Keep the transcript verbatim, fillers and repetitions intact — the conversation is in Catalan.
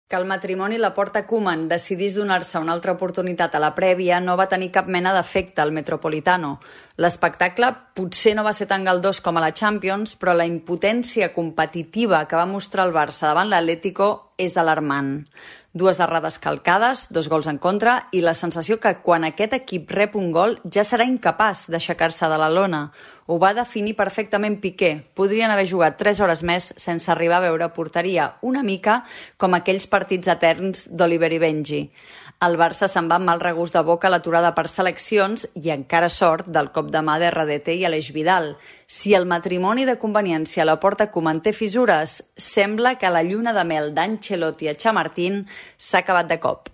Que el matrimoni Laporta-Koeman decidís donar-se una altra oportunitat a la prèvia no va tenir cap mena d'efecte al Metropolitano. L'espectacle potser no va ser tan galdós com a la Champions, però la impotència competitiva que va mostrar el Barça davant l'Atlético és alarmant. Dues errades calcades, dos gols en contra i la sensació que quan aquest equip rep un gol ja serà incapaç d'aixecar-se de la lona. Ho va definir perfectament Piqué. Podrien haver jugat tres hores més sense arribar a veure porteria, una mica com aquells partits eterns d'Oliver i Benji. El Barça se'n va amb mal regust de boca a l'aturada per seleccions i encara sort del cop de mà d'R D T i Aleix Vidal. Si el matrimoni de conveniència a Laporta-Koeman té fissures, sembla que la lluna de mel d'Ancelotti a Chamartín s'ha acabat de cop.